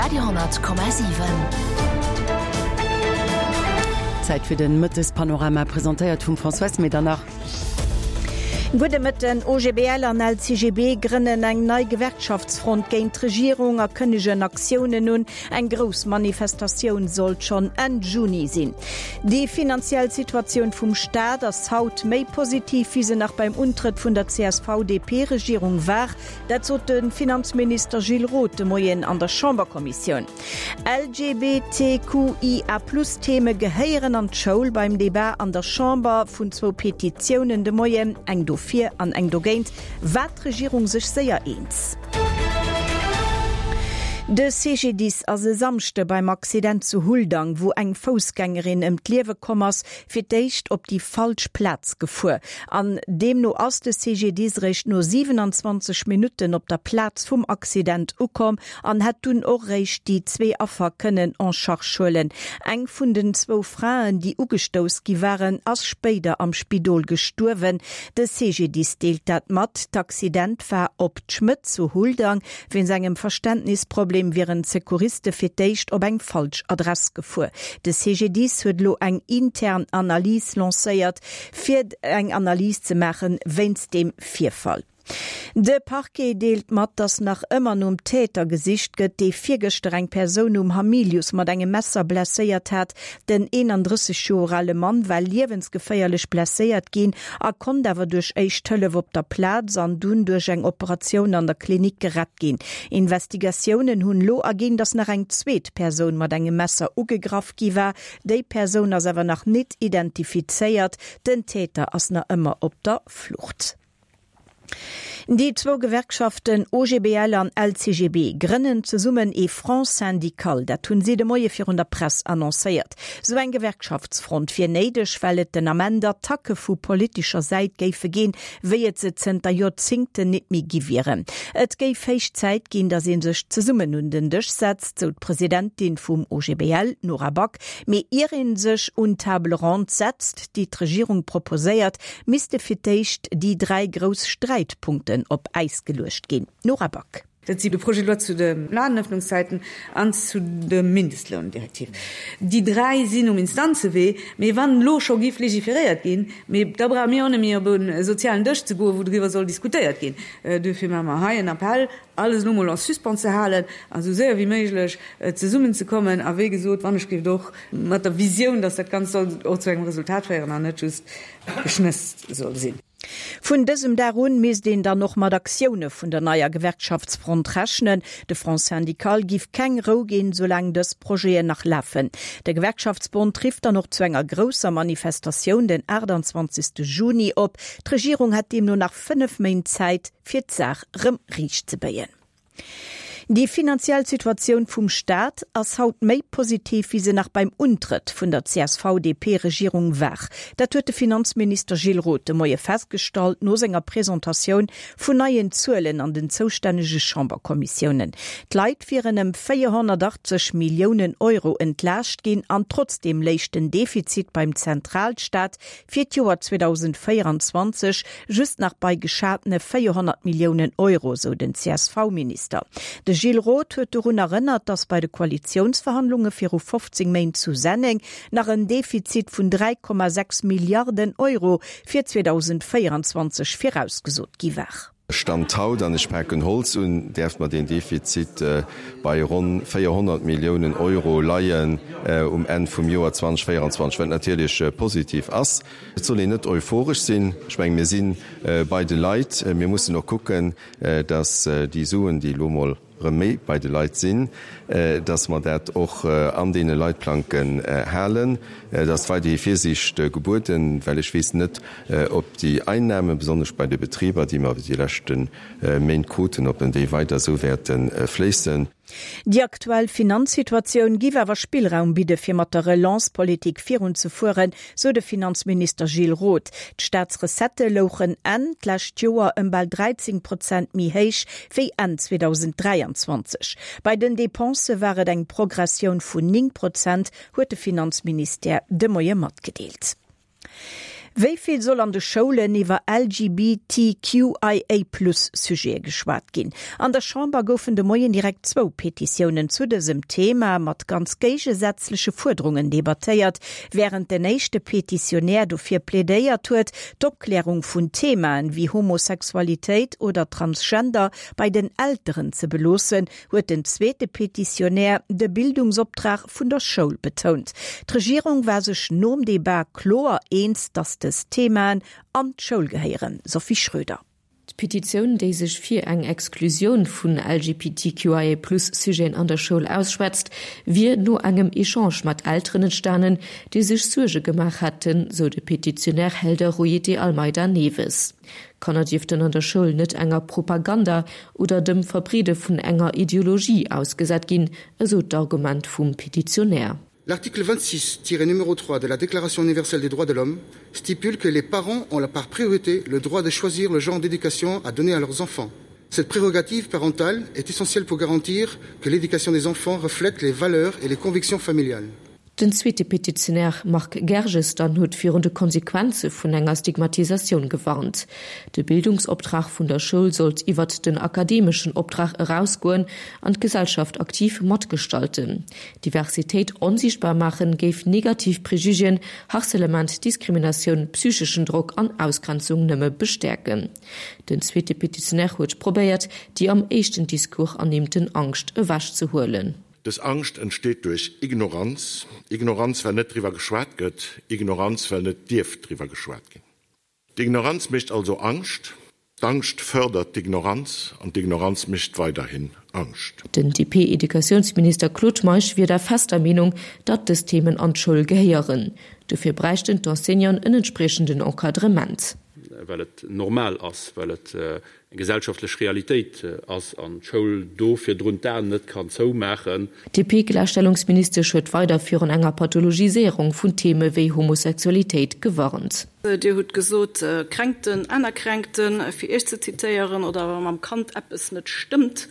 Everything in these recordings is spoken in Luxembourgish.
Radio,7. Zäit fir den Mëttespanorama, presentéiert vum Françoise Medernach. Gudde Mëtten. OGBL an LCGB grënnen eng nei Gewerkschaftsfront géint d'Regierung a kënnegen Aktiounen un. Eng grouss Manifestatioun sollt schonn Enn Juni sinn. Déi finanziell Situatioun vum Staat ass haut méi positiv, wéi se nach beim Untrëtt vun der CSV-DP-Regierung war. Dat sot de Finanzminister Gilles Roth de Moien an der Chamberkommissioun. LGBTQIA-Plus-Theme gehéieren an d'Schoul. Beim Debat an der Chamber vun zwou Petitiounen de Moien, eng dofir an eng dogéint, war d'Regierung sech séier eens. De CGDIS ass e Samschde beim Accident zu Huldang, wou eng Foussgängerin ëm d'Liewe komm ass, fir d'éischt op déi falsch Plaz gefuer an deemno ass de CGDIS réischt no 27 Minutten op der Plaz vum Accident ukomm an hätt dunn och réischt déi zwee Affer kënnen en charge huelen. Eng vun den zwou Fraen, déi ugestouss gi waren, ass spéider am Spidol gestuerwen. De CGDIS deelt dat mat. D'Accident war op d'Schmëtt zu Huldang. Wéinst engem Verständnisproblem wieren d'Secouriste fir d'éischt op eng falsch Adress gefuer. De CGDIS huet elo eng intern Analys lancéiert, fir eng Analys ze maache wéinst deem Virfall. De Parquet deelt mat, datt nach ëmmer nom Täter gesicht gëtt, dee virgëschter eng Persoun um Hamilius mat engem Messer blesséiert hat. Den 31 Joer ale Mann war liewensgeféierlech blesséiert ginn a konnt awer duerch éischt Hëllef op der Plaz an dunn duerch eng Operatioun an der Klinik gerett ginn. Investigatiounen hunn elo erginn, datt nach eng zweet Persoun mat engem Messer ugegraff gi war. Déi Persoun ass awer nach nit identifizéiert. Den Täter ass nach ëmmer op der Flucht. Déi zwou Gewerkschaften OGBL an LCGB grënnen zesummen ee Front syndical. Dat hunn si de Moie virun der Press annoncéiert. Sou eng Gewerkschaftsfront wier néideg, well et den Ament Attacke vu politescher Säit géife ginn, wéi et se zënter Joerzingten nit méi gi wieren. Et géif héich Zäit ginn, datt ee sech zesummen un den Dësch setzt, sou d'Presidentin vum OGBL, Nora Back. Mee ier ee sech un d'Table ronde setzt, déi d'Regierung proposéiert, misste fir d'éischt déi 3 grouss Sträitpunkten op Äis geluecht ginn. Nora Back. Dat si de Projet de loi zu de Ladenëffnungszäiten an zu der Mindestloundirektiv. Déi 3 sinn um Instanzewee. Mee wann elo scho giff legiferéiert ginn, mee da brauche mir och net méi op e sozialen Dësch ze goen, wou driwwer soll diskutéiert ginn. Duerfir maache mer hei en Appell, alles elo mol en suspens ze halen a sou séier wéi méiglech zesummenzekommen. A wéi gesot, wann ech géif et och mat der Visioun, dass dat Ganzt soll och zu engem Resultat féieren an net just Geschnëss soll sinn. Vun dësem Dag un misst een dann och mat Aktioune vun der neier Gewerkschaftsfront rechnen. De Front syndical giff keng Rou ginn, soulaang dës Projeten nach lafen. De Gewerkschaftsbond rifft dann och zu enger grousser Manifestatioun den 28 Juni op. D'Regierung hätt deemno nach 5 Méint Zäit, fir d'Saach rëm riichtzebéien. Déi finanziell Situatioun vum Staat ass haut méi positiv, wéi se nach beim Untrëtt vun der CSV-DP-Regierung war. Dat huet de Finanzminister Gilles Roth de Moie festgestallt no senger Presentatioun vun neien Zuelen an den zoustännege Chamberkommissiounen. D'Leit wieren ëm 480 Milliounen Euro entlaascht ginn an trotzdeem léich den Defizit beim Zentralstaat fir d'Joer 2024 just nach bei geschatene 400 Milliounen Euro, sou den CSV-Minister. De Gilles Roth huet dorun erënnert, datt bei de Koalitiounsverhandlunge viru 15 Méint zu Senneng nach en Defizit vun 3,6 Milliarden Euro fir 2024 virausgesot gi war. Stand haut, an ech paken Holz un, däerft mer deen Defizit bei ronn 400 Milliounen Euro leien um Enn vum Joer 2024, wat natierlech positiv ass. Et soll een net euphoresch sinn. Ech mengen, mir si bei de Leit. Mir mussen och kucken, datt déi Suen, déi elo emol erëm méi bei de Leit sinn, dass mer dat och an deene Leitplanken halen. Et ass weiderhi Virsiicht gebueden, well ech weess net, ob déi Einnahmen, besonnesch bei de Betriber, déi mer déi leschte Méint kruten, ob déi weider esou wäerte fléissen. Déi aktuell Finanzsituatioun giff awer Spillraum bidde fir mat der Relance-Politik virunzefueren, sou de Finanzminister Gilles Roth. D'Staatsrecettë louchen Enn d'lescht Joer ëm bal 13 Prozent méi héich wéi Enn 2023. Bei den Depensë war et eng Progressioun vun 9 Prozent, huet de Finanzministère de Moie matgedeelt. Wéi vill soll an de Schoulen iwwer LGBTQIA-Plus-Sujete geschwat ginn? An der Chamber goufen de Moien direkt zwou Petitiounen zu dësem Thema mat ganz géigesätzleche Fuerderungen debattéiert. Wärend den éischte Petitionär dofir plädéiert huet, d'Opklärung vun Themaen wéi Homosexualitéit oder Transgender bei den Elteren ze beloossen, huet den zweete Petitionär de Bildungsoptrag vun der Schoul betount. D'Regierung war sech nom Debat kloer eens, datt dës Themaen an d'Schoul gehéieren. Sophie Schröder. D'Petitioun, déi sech fir eng Exklusioun vun LGBTQIA-Plus-Sujeten an der Schoul ausschwätzt, wier no engem Echange mat Elteren entstanen, déi sech Suerge gemaach hätten, sou de Petitionär Helder Rui de Almeida Neves. Kanner dierften an der Schoul net enger Propaganda oder dem Verbreede vun enger Ideologie ausgesat ginn, esou d'Argument vum Petitionär. L'article 26-numéro 3 de la Déclaration universelle des droits de l'homme stipule que les parents ont la par priorité le droit de choisir le genre d'éducation à donner à leurs enfants. Cette prérogative parentale est essentielle pour garantir que l'éducation des enfants reflète les valeurs et les convictions familiales. Den zweete Petitionär Marc Gerges dann huet virun de Konsequenze vun enger Stigmatisatioun gewarnt. De Bildungsoptrag vun der Schoul sollt iwwert den akademeschen Optrag erausgoen an d'Gesellschaft aktiv matgestalten. Diversitéit onsiichtbar maachen géif negativ Prejugéen, Harcelement, Diskriminatioun, psycheschen Drock an Ausgrenzung nëmme bestäerken. Den zweete Petitionär huet probéiert, déi am éischten Discours ernimmten Angscht ewechzehuelen. Dës Angscht entsteet duerch Ignoranz, Ignoranz well net driwwer geschwat gëtt, Ignoranz well net dierf driwwer geschwat ginn. D'Ignoranz mécht also Angscht, d'Angscht fërdert d'Ignoranz an d'Ignoranz mécht weiderhin Angscht. Den DP-Educatiounsminister Claude Meisch wier der fester Meenung, datt dës Themen an d'Schoul gehéieren. Dofir bräichten d'Enseignanten en entspriechenden Encadrement. Well et normal ass, well et eng gesellschaftlech Realitéit ass an d'Schoul do virdrun d'Aen net kann zoumaachen. D'DP-Gläichstellungsministesch huet weider virun enger Pathologiséierung vun Theme wéi Homosexualitéit gewarnt. Dir hutt gesot, Kränkten, aner Kränkten, fir Iech ze zitéieren, oder wa mam Kand eppes net stëmmt.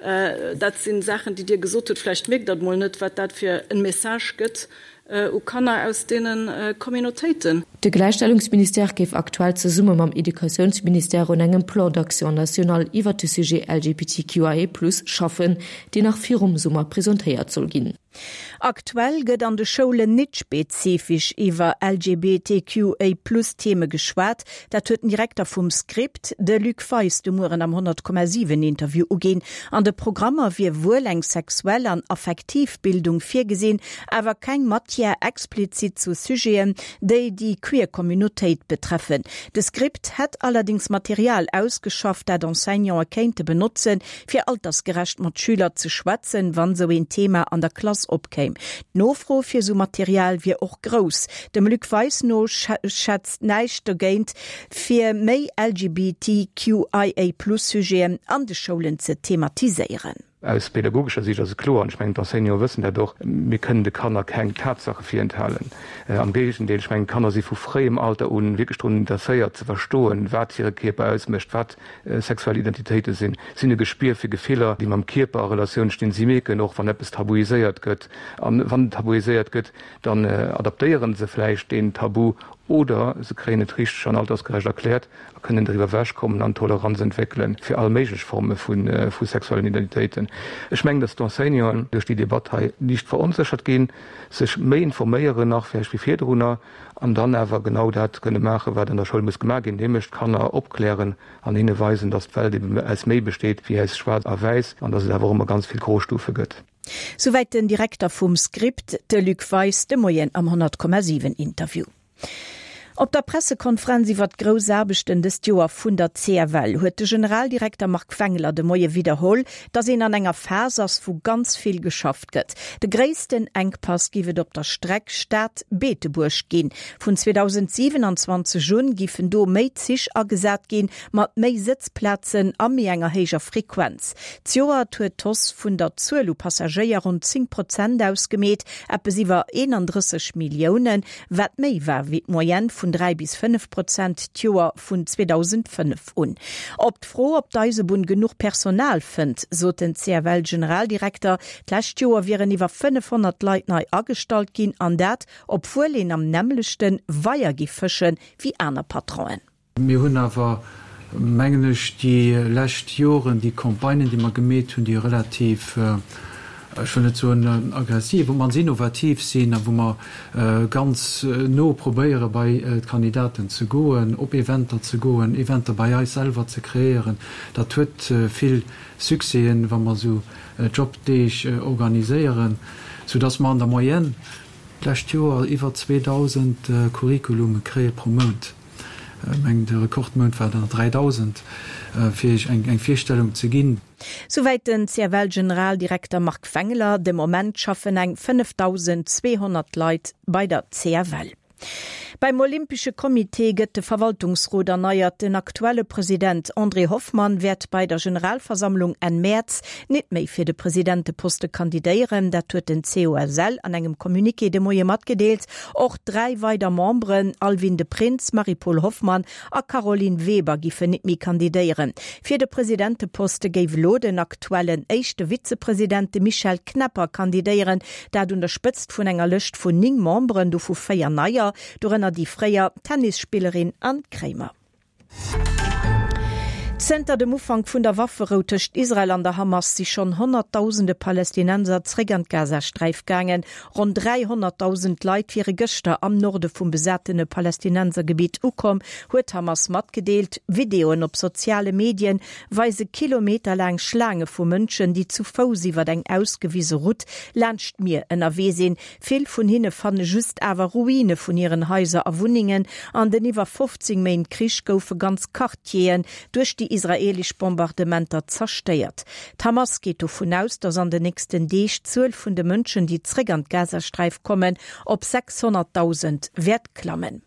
Dat si Saachen, déi Dir gesot hutt. Vläicht mierkt Der et mol net, wat dat fir e Message gëtt u Kanner aus deene Communautéiten. De Gläichstellungsministère géif aktuell zesumme mam Educatiounsministère un engem Plan d'action national iwwert de Sujet LGBTQIA+ schaffen, deen nach virum Summer presentéiert soll ginn. Aktuell gëtt an de Schoulen nit spezifesch iwwer LGBTQA-Plus-Theme geschwat. Dat huet den Direkter vum Script, de Luc Weis, de Mueren am 100,7 Interview uginn. An de Programmer wier wuel eng sexuell an affektiv Bildung virgesinn, awer keng Matière explizit zu Sujeten, déi déi queer Communautéit betreffen. De Script hätt allerdéngs Material ausgeschafft, dat Enseignante kéinte benotzen, fir altersgerecht mat Schüler ze schwätzen, wann sou een Thema an der Klass opkéim. D'Nofro fir sou Material wier och grouss. Dem Luc Weis no schätzt näischt dogéint, fir méi LGBTQIA-Plus-Sujeten an de Schoulen ze thematiséieren. Aus pädagogescher Siicht ass et kloer, an ech mengen d'Enseignanten wëssen dat och, mir kënnen de Kanner keng Tatsache virenthalen. Am Géigendeel, ech mengen d'Kanner si vu fréiem Alter u wierklech drun interesséiert ze verstoen, wat hire Kierper ausmécht, wat sexuell Identitéite sinn. Si hunn e Gespier fir Gefiller, déi mam Kierper a Relatioun stinn. Si mierken och, wann eppes tabuiséiert gëtt. An wann et tabuiséiert gëtt, dann adaptéiere se vläicht deen Tabu oder se kréien et richteg an altersgerecht erkläert. a kënnen driwwer ewech kommen an Toleranz entwéckele fir all méiglech Forme vu sexuellen Identitéiten. Ech mengen, datt d'Enseignanten duerch déi Debatt hei liicht veronséchert ginn, sech méi informéieren nach vläicht wéi virdrunner an dann awer genau dat kënne maachen, wat an der Schoul muss gemaach ginn, nämlech d'Kanner opklären an hinne weisen, datt d'Welt eben aus méi besteet wéi aus Schwaarz a Wäiss an datt et awer och ëmmer ganz vill Grostufe gëtt. Souwäit den Direkter vum Script, de Luc Weis, de Moien am 100,7 Interview. Op der Pressekonferenz iwwert d'grouss Aarbechten dëst Joer vun der CFL huet de Generaldirekter Marc Wengler de Moie widderholl, datt een an enger Phas ass, wou ganz vill geschafft gëtt. De gréissten Enkpass giff et op der Streck Stad-Beetebuerg ginn. Vun 2027 un giffen do méi Zich agesat ginn, mat méi Sëtzplazen a méi enger héijer Frequenz. D'Joert huet d'Hausse vun der Zuel u Passagéier ronn 10 Prozent ausgemeet, eppes iwwer 31 Milliounen, wat méi war wéi d'Moyenne vun. vun 3 bis 5 Prozent d'Joer vun 2005 un. Op d'Fro, ob d'Eisebunn genuch Personal fënnt, sot den CFL-Generaldirekter, d'lescht Joer wieren iwwer 500 Leit nei agestallt ginn, an dat obwuel een am nämmlechte Weier giff fësche wéi aner Patronen. Mir hunn awer, mengen ech, déi lescht Joren déi Campagnen, déi mer gemeet hunn, déi relativ, ech wëll net soen aggressiv, op d'mannst innovativ sinn a wou mer ganz no probéiere bei d'Kandidaten ze goen, op Eventer ze goen, Eventer bei eis selwer ze kreéieren, dat huet vill Succèsen, wa mer esou Jobdeeg organiséieren, soudass mer an der Moyenne d'lescht Joer iwwer 2.000 Curriculume kréie pro Mount. Ech mengen, de Rekordmount war der 3.000, fir Iech eng Virstellung ze ginn. Souwäit den CFL-Generaldirekter Marc Wengler. De Moment schaffen eng 5.200 Leit bei der CFL. Beim Olympesche Comité gëtt de Verwaltungsrot erneiert. Den aktuelle President André Hoffmann wäert bei der Generalversammlung Enn Mäerz nit méi fir de Presidenteposte kandidéieren. Dat huet den COSL an engem Communiqué de Moie matgedeelt. Och 3 weider Memberen, Alwin de Prins, Marie-Paule Hoffmann a Caroline Weber giffen nit méi kandidéieren. Fir de Presidenteposte géif elo den aktuellen éischte Vizepresident, de Michel Knepper, kandidéieren. Dat un der Spëtzt vun enger Lëscht vun 9 Memberen, dovu 4 neier, dorënner déi fréier Tennisspillerin Anne Kremer. Zënter dem Ufank vun der Wafferou tëscht Israel an der Hamas si schonn Honnertdausende Palästinenser zeréck an d'Gazasträif gaangen. Ronn 300.000 Leit wiere gëschter am Norde vum besatene Palästinensergebitt ukomm, huet d'Hamas matgedeelt. Videoen op soziale Medien weise kilometerlaang Schlaange vu Mënschen, déi zu Fouss iwwer eng ausgewise Route laanscht d'Mier ënnerwee sinn. Vill vun hinne fanne just awer Ruine vun hiren Haiser a Wunnengen. An den iwwer 15 Méint Krich goufe ganz Quartieren duerch déi israeelesch Bombardementer zerstéiert. D'Hamas geet dovun aus, datt an den nächsten Deeg d'Zuel vun de Mënschen, déi zréck an d'Gazasträif kommen, op 600.000 wäert klammen.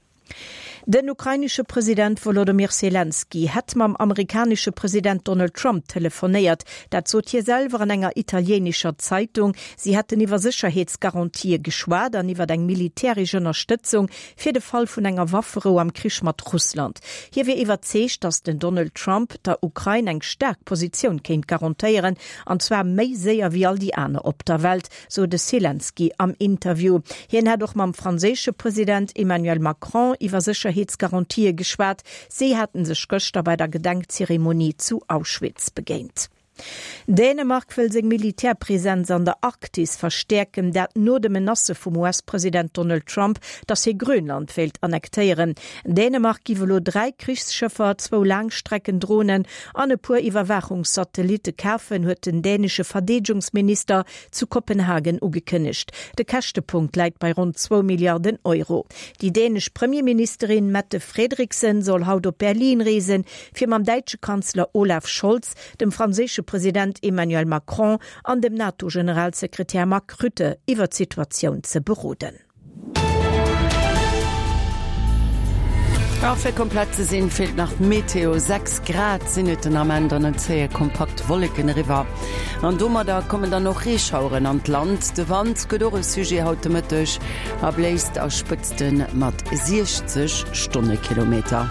Den ukrainesche President Wolodomyr Selenskyj hätt mam amerikanesche President Donald Trump telefonéiert. Dat sot hie selwer an enger italiéinescher Zeitung. Si hätten iwwer Sécherheetsgarantië geschwat an iwwer eng militäresch Ënnerstëtzung fir de Fall vun enger Wafferou am Krich mat Russland. Hie wier iwwerzeegt, datt den Donald Trump der Ukrain eng staark Positioun kéint garantéieren, an zwar méi séier wéi all déi aner op der Welt. sou de Selenskyj am Interview. Hien hätt och mam franséische President Emmanuel Macron iwwer Sécherheetsgarantië geschwat. Si haten sech gëschter bei der Gedenkzeremonie zu Auschwitz begéint. Dänemark wëll seng Militärpresenz an der Arktis verstäerken, dat no de Menacë vum US-President Donald Trump, datt hie Grönland wéilt annektéieren. Dänemark giff elo 3 Krichsschëffer, zwou Laangstreckendronen an e puer Iwwerwaachungssatellitte kafen, huet den dänesche Verdeedegungsminister zu Kopenhagen ugekënnegt. De Käschtepunkt läit bei ronn zwou Milliarden Euro. Déi dänesch Premierministerin Mette Frederiksen soll haut op Berlin reesen, fir mam däitsche Kanzler Olaf Scholz, dem franséische President Emmanuel Macron an dem NATO-Generalsekretär Mark Rutte iwwer d'Situatioun ze beroden. A fir komplett ze sinn, feelt nach d'Meteo. 6 Grad sinn et den Ament an et zéie kompakt Wolleken eriwwer. An domadder kommen dann och Reeschaueren an d'Land. De Wand gëtt och e Sujet haut de Mëtteg a bléist a Spëtzte mat 60 Stonnekilometer.